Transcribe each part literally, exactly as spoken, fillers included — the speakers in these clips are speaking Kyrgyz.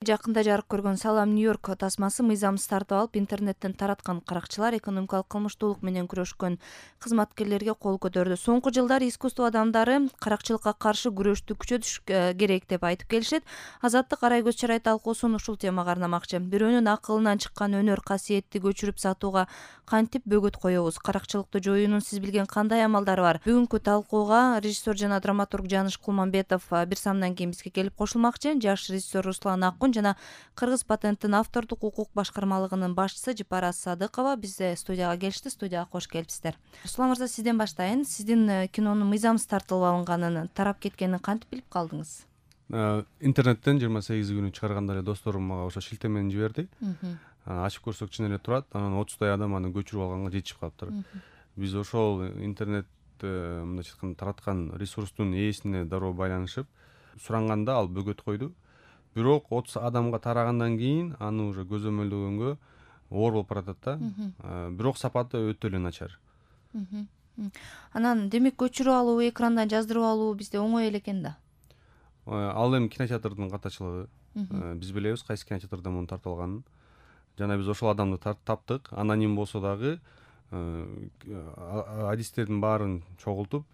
Жакында жарык көргөн «Салам Нью-Йорк» тасмасы мыйзамсыз тартып алып интернеттен тараткан каракчылар экономикалык кылмыштуулук менен күрөшкөн кызматкерлерге кол көтөрдү. Соңку жылдары искусство адамдары каракчылыкка каршы күрөштү күчөтүш керек деп айтып келишет. Азаттык арай көз чарай талкуусун ушул темага арнамакчы. Бирөөнүн акылынан чыккан өнөр касиетти көчүрүп сатууга кантип бөгөт коебуз? Каракчылыкты жоюунун сиз билген кандай амалдары бар? Бүгүнкү талкууга режиссер жана драматург Жаныш Кулманбетов бир самдан кийин бизге келип кошулмакчы. Жаш режиссер Руслан Акун жана Кыргыз патенттин автордук укук башкармалыгынын башчысы Жипара Садыкова бизде студияга келишти. Студияга кош келипсиздер. Руслан мырза, сизден баштайын. Сиздин кинонун мыйзамсыз тартылып алынганын, тарап кеткенин кантип билип калдыңыз? Интернеттен жыйырма сегизи күнү чыгарганда эле досторум мага ошо шилтемени жиберди. Ачып көрсөк чын эле турат. Анан отуздай адам аны көчүрүп алганга жетишип калыптыр. Биз ошол интернет мындайча айтканда тараткан ресурстун ээсине дароо байланышып суранганда ал бөгөт койду. Бирок отуз адамга тарагандан кийин аны уже көзөмөлдөгөнгө оор болуп баратат да. Бирок сапаты өтө эле начар. Анан демек көчүрүп алуу, экрандан жаздырып алуу бизде оңой эле экен да. Ал эми кинотеатрдын катачылыгы. Биз билебиз кайсы кинотеатрда муну тартып алганын. Жана биз ошол адамды таптык. Аноним болсо дагы адистердин баарын чогултуп,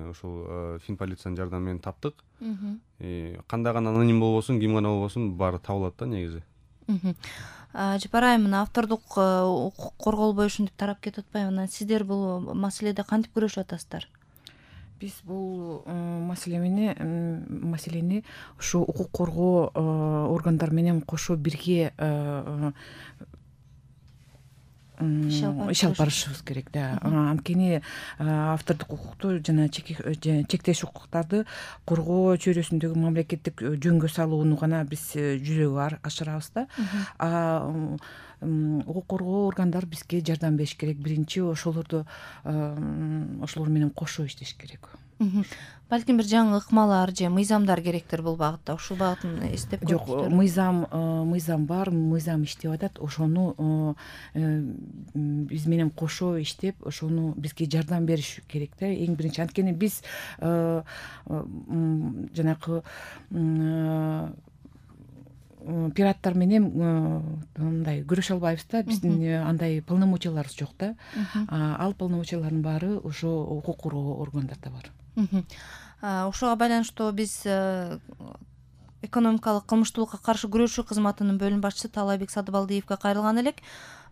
ушул фильм полициянын жардамы менен таптык. Кандай гана аноним болбосун, ким гана болбосун, баары табылат да негизи. Жипара айым, мына автордук укук корголбой ушинтип тарап кетип атпайбы? Анан сиздер бул маселеде кантип күрөшүп атасыздар? Биз бул маселени маселени ушу укук коргоо органдары менен кошо бирге иш алып барышыбыз керек да. Анткени автордук укукту жана чектеш укуктарды коргоо чөйрөсүндөгү мамлекеттик жөнгө салууну гана биз жүзөгө ашырабыз да. Укук коргоо органдары бизге жардам бериш керек. Биринчи ошолорду ошолор менен кошо иштеш керек. Балким бир жаңы ыкмалар же мыйзамдар керектир бул багытта. Ушул багытын эстеп көрүңүздөр. Жок, мыйзам мыйзам бар, мыйзам иштеп атат. Ошону биз менен кошо иштеп, ошону бизге жардам бериш керек да. Эң биринчи, анткени биз жанакы пираттар менен мындай күрөшө албайбыз да. Биздин андай полномочияларыбыз жок да. Ал полномочиялардын баары ошо укук коргоо органдарда бар. Ошого байланыштуу биз экономикалык кылмыштуулукка каршы күрөшүү кызматынын бөлүм башчысы Таалайбек Сатыбалдиевге кайрылган элек.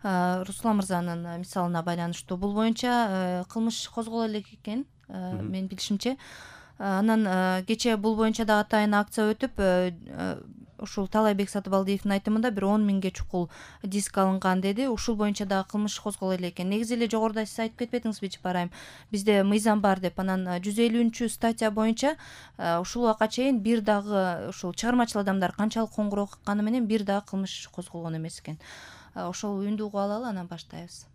Руслан мырзанын мисалына байланыштуу бул боюнча кылмыш козголо элек экен, менин билишимче. Анан кечээ бул боюнча да атайын акция өтүп, ушул Таалайбек Сатыбалдиевдин айтымында бир он миңге чукул диск алынган деди. Ушул боюнча дагы кылмыш козголо элек экен. Негизи эле жогоруда сиз айтып кетпедиңизби, Жипара айым? Бизде мыйзам бар деп. Анан жүз элүүнчү статья боюнча ушул убакка чейин бир дагы ушул чыгармачыл адамдар канчалык коңгуроо какканы менен бир дагы кылмыш козголгон эмес экен. Ошол үндү угуп алалы, анан баштайбыз.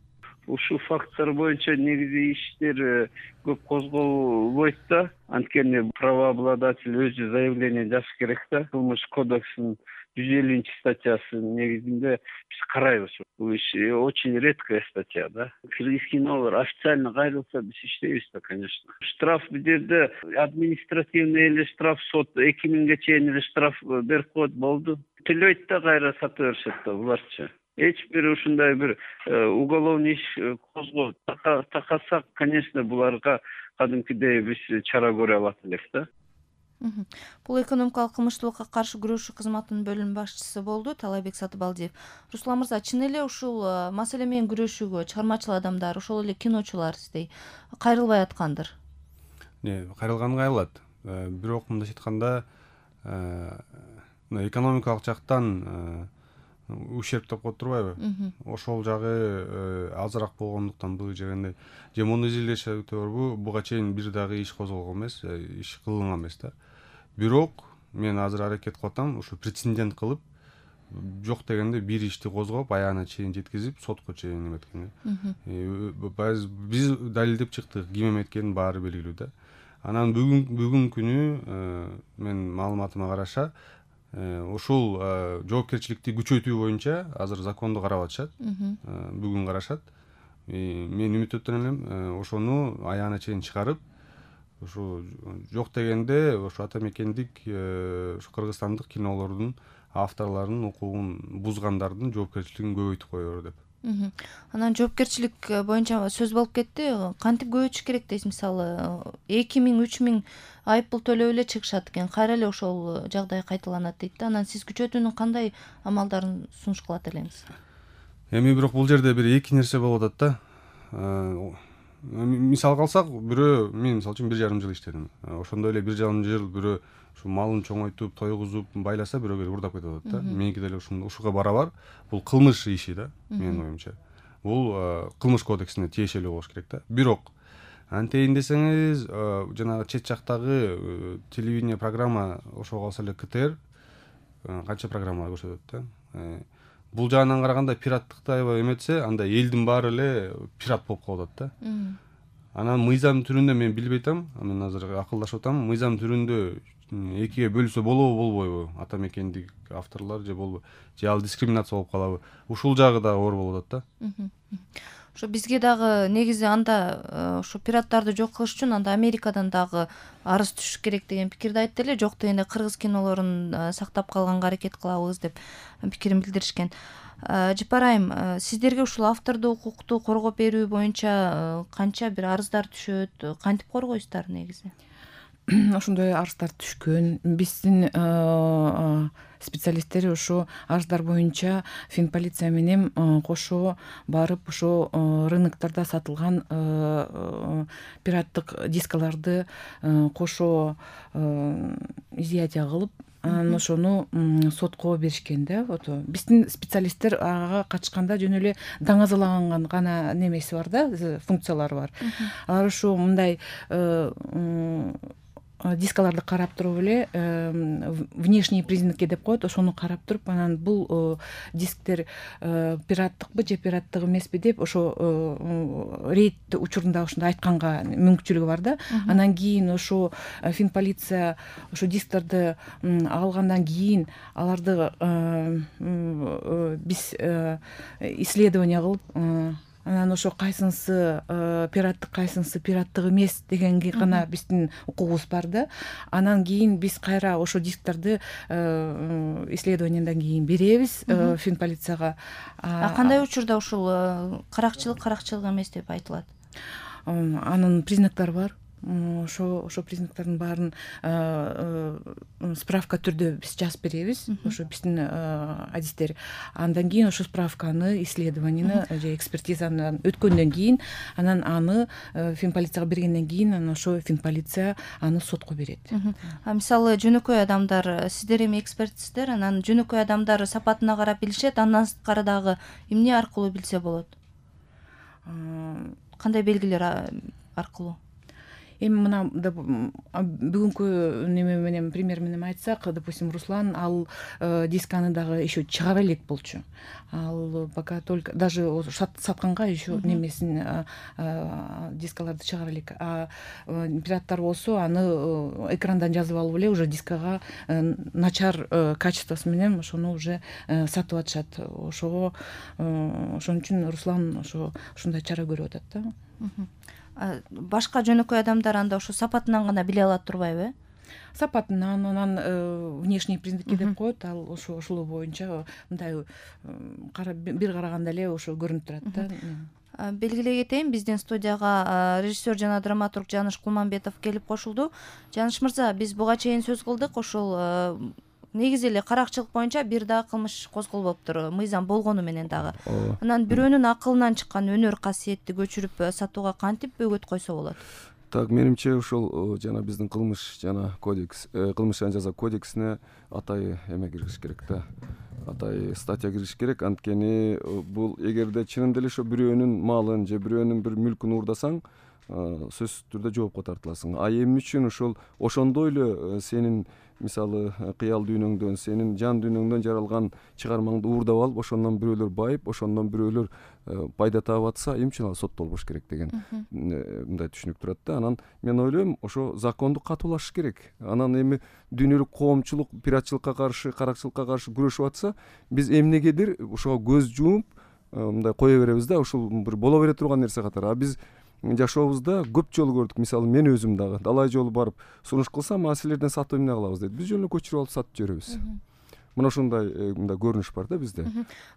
Ушул факттар боюнча негизи иштер көп козголбойт да. Анткени правообладатель өзү заявление жазыш керек да. Кылмыш кодексинин жүз элүүнчү статьясы негизинде биз карайбыз. Бул иш очень редкая статья да. Кыргыз кинолор официально кайрылса биз иштейбиз да, конечно. Штраф бул жерде административный эле штраф, сот эки миңге чейин эле штраф берип коет, болду. Төлөйт да кайра сата беришет да буларчы. Эч бир ушундай бир уголовный иш козгоп такасак, конечно, буларга кадимкидей биз чара көрө алат элек да. Бул экономикалык кылмыштуулукка каршы күрөшүү кызматынын бөлүм башчысы болду Таалайбек Сатыбалдиев. Руслан мырза, чын эле ушул маселе менен күрөшүүгө чыгармачыл адамдар, ошол эле киночулар сиздей кайрылбай аткандыр? Кайрылган кайрылат. Бирок мындайча айтканда экономикалык жактан ущерб деп коюп турбайбы? Ошол жагы азыраак болгондуктан бул жерде же муну изилдешет барбы? Буга чейин бир дагы иш козголгон эмес, иш кылынган эмес да. Бирок мен азыр аракет кылып атам, ушу прецедент кылып, жок дегенде бир ишти козгоп, аягына чейин жеткизип, сотко чейин эметкен. Биз далилдеп чыктык, ким эметкенин баары белгилүү да. Анан бүгүн бүгүн күнү мен маалыматыма караша ушул жоопкерчиликти күчөтүү боюнча азыр законду карап атышат. Бүгүн карашат. Мен үмүттөнүп элем, ошону аягына чейин чыгарып, ушу жок дегенде ошо ата мекендик ушу кыргызстандык кинолордун авторлордун укугун бузгандардын жоопкерчилигин көбөйтүп коелу деп. Анан жоопкерчилик боюнча сөз болуп кетти. Кантип көбөйтүш керек дейсиз? Мисалы эки миң үч миң айып пул төлөп эле чыгышат экен, кайра эле ошол жагдай кайталанат дейт да. Анан сиз күчөтүүнүн кандай амалдарын сунуш кылат элеңиз? Эми бирок бул жерде бир эки нерсе болуп атат да. Мисалга алсак, бирөө мен мисалы үчүн бир жарым жыл иштедим. Ошондой эле бир жарым жыл бирөө ушу малын чоңойтуп, тойгузуп, байласа бирөө келип урдап кетип атат да. Меники деле ушуга барабар. Бул кылмыш иши да, менин оюмча. Бул кылмыш кодексине тиешелүү болуш керек да. Бирок антейин десеңиз, жанагы чет жактагы телевидение программа ошого калса эле КТР канча программа көрсөтөт да. Бул жагынан караганда пираттыкты аябай эметсе, анда элдин баары эле пират болуп калып атат да. Анан мыйзам түрүндө мен билбей атам, мен азыр акылдашып атам, мыйзам түрүндө экиге бөлүнсө болобу, болбойбу? Ата мекендик авторлор же болбойбу? Же ал дискриминация болуп калабы? Ушул жагы да оор болуп атат да. Ошо бизге дагы негизи анда ошо пираттарды жок кылыш үчүн анда Америкадан дагы арыз түшүш керек деген пикирди айтты эле. Жок дегенде кыргыз кинолорун сактап калганга аракет кылабыз деп пикирин билдиришкен. Жапар айым, сиздерге ушул автордук укукту коргоп берүү боюнча канча бир арыздар түшөт? Кантип коргойсуздар негизи? Ошондой арыздар түшкөн. Биздин специалисттер ошо арыздар боюнча Финполиция менен кошо барып ошо рыноктарда сатылган пираттык дискаларды кошо изъятие кылып, анан ошону сотко беришкен да. Биздин специалисттер ага катышканда жөн эле даңазалаган гана немеси бар да, функциялары бар. Алар ошо мындай дискаларды карап туруп эле внешние признаки деп коет, ошону карап туруп, анан бул дисктер пираттыкпы же пираттык эмеспи деп ошо рейд учурунда ошондой айтканга мүмкүнчүлүгү бар да. Анан кийин ошо Финполиция ошо дисктарды алгандан кийин аларды биз исследование кылып, анан ошо кайсынысы пираттык, кайсынысы пираттык эмес дегенге гана биздин укугубуз бар да. Анан кийин биз кайра ошо дисктарды исследованиядан кийин беребиз Финполицияга. А кандай учурда ушул каракчылык, каракчылык эмес деп айтылат? Анын признактары бар. Ошо ошо признактардын баарын справка түрдө биз жазып беребиз, ошо биздин адистер. Андан кийин ошо справканы, исследованияны же экспертизаны өткөндөн кийин, анан аны Финполицияга бергенден кийин, анан ошо Финполиция аны сотко берет. А мисалы жөнөкөй адамдар, сиздер эми экспертсиздер, анан жөнөкөй адамдар сапатына карап билишет, андан сырткары дагы эмне аркылуу билсе болот? Кандай белгилер аркылуу? Эми мына бүгүнкү неме менен, пример менен айтсак, допустим, Руслан ал дисканы дагы еще чыгара элек болчу. Ал пока только даже сатканга еще немесин дискаларды чыгара элек. А пираттар болсо аны экрандан жазып алып эле уже дискага начар качествосы менен ошону уже сатып атышат. Ошого ошон үчүн Руслан ошо ушундай чара көрүп атат да. Башка жөнөкөй адамдар анда ошо сапатынан гана биле алат турбайбы? Сапатынан, анан внешние признаки деп коет, ал ошо ошол боюнча мындай бир караганда эле ошо көрүнүп турат да. Белгилей кетейин, биздин студияга режиссер жана драматург Жаныш Кулманбетов келип кошулду. Жаныш мырза, биз буга чейин сөз кылдык, ошол негизи эле каракчылык боюнча бир да кылмыш козголбоптур, мыйзам болгону менен дагы. Анан бирөөнүн акылынан чыккан өнөр касиетти көчүрүп сатууга кантип бөгөт койсо болот? Так, менимче ушул жана биздин кылмыш жана кодекс, кылмыш жана жаза кодексине атай эме киргизиш керек да. Атай статья киргизиш керек. Анткени бул эгерде чынында эле ошо бирөөнүн малын же бирөөнүн бир мүлкүн уурдасаң, сөзсүз түрдө жоопко тартыласың. А эмне үчүн ошол ошондой эле сенин мисалы кыял дүйнөңдөн, сенин жан дүйнөңдөн жаралган чыгармаңды уурдап алып, ошондон бирөөлөр байып, ошондон бирөөлөр пайда таап атса, эмне үчүн ал соттолбош керек деген мындай түшүнүк турат да. Анан мен ойлойм, ошо законду катуулашыш керек. Анан эми дүйнөлүк коомчулук пиратчылыкка каршы, каракчылыкка каршы күрөшүп атса, биз эмнегедир ошого көз жумуп мындай кое беребиз да, ушул бир боло бере турган нерсе катары. А биз жашообузда көп жолу көрдүк. Мисалы мен өзүм дагы далай жолу барып сунуш кылсам, а силерден сатып эмне кылабыз дейт. Биз жөн эле көчүрүп алып сатып жиберебиз. мына ушундай мындай көрүнүш бар да бизде.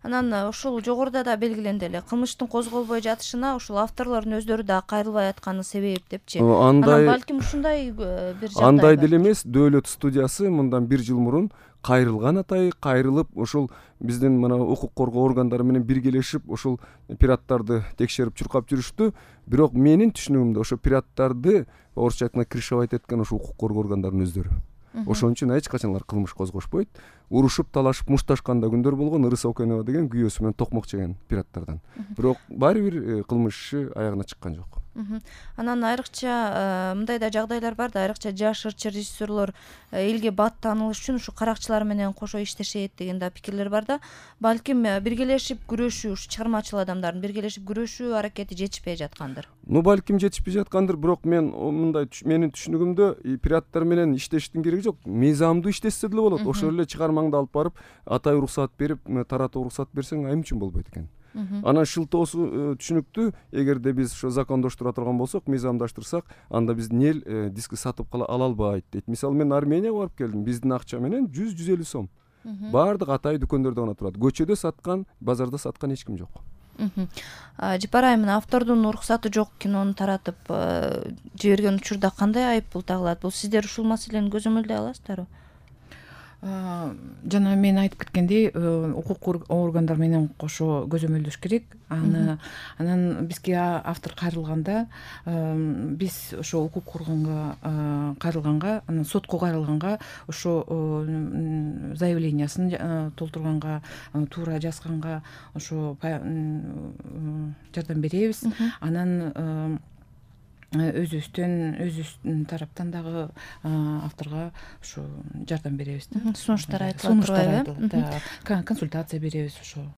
Анан ушул жогоруда да белгиленди эле, кылмыштын козголбой жатышына ушул авторлордун өздөрү да кайрылбай атканы себеп депчи. Андай балким ушундай бир жагдай андай деле эмес, дөөлөт студиясы мындан бир жыл мурун кайрылган атай, кайрылып ушул биздин мына укук коргоо органдары менен биргелешип ушул пираттарды текшерип чуркап жүрүштү. Бирок менин түшүнүгүмдө ошо пираттарды орусча айтканда крышевать эткен ошо укук коргоо органдарынын өздөрү. Ошон үчүн эч качан алар кылмыш козгошпойт. Урушуп, талашып, мушташкан да күндөр болгон. Ырыс Окенова деген күйөөсү менен токмок жеген пираттардан. Бирок баары бир кылмыш иши аягына чыккан жок. Анан айрыкча мындай да жагдайлар бар да, айрыкча жаш ырчы режиссерлор элге бат таанылыш үчүн ушу каракчылар менен кошо иштешет деген да пикирлер бар да. Балким биргелешип күрөшүү, ушу чыгармачыл адамдардын биргелешип күрөшүү аракети жетишпей жаткандыр. Ну балким жетишпей жаткандыр, бирок мен мындай менин түшүнүгүмдө пираттар менен иштештин кереги жок. Мыйзамдуу иштешсе деле болот. Ошол эле чыгармаңды алып барып, атай уруксат берип, таратуу уруксат берсең айым үчүн болбойт экен. Анан шылтоосу түшүнүктүү. Эгерде биз ошо закондоштура турган болсок, мыйзамдаштырсак, анда биздин эл диски сатып ала албайт дейт. Мисалы мен Арменияга барып келдим. Биздин акча менен жүз жүз элүү сом. Баардык атай дүкөндөрдө гана турат. Көчөдө саткан, базарда саткан эч ким жок. Жапар айым, автордун уруксаты жок кинону таратып жиберген учурда кандай айып бул тагылат? Бул сиздер ушул маселени көзөмөлдөй аласыздарбы? Жана мен айтып кеткендей, укук органдар менен кошо көзөмөлдөш керек. Аны анан бизге автор кайрылганда, биз ошо укук органга кайрылганга, анан сотко кайрылганга, ошо заявлениясын толтурганга, туура жазганга ошо жардам беребиз. Анан өзүбүздөн өзүбүздүн тараптан дагы авторго ушу жардам беребиз да. Сунуштар айтылат турбайбы? Консультация беребиз ошо.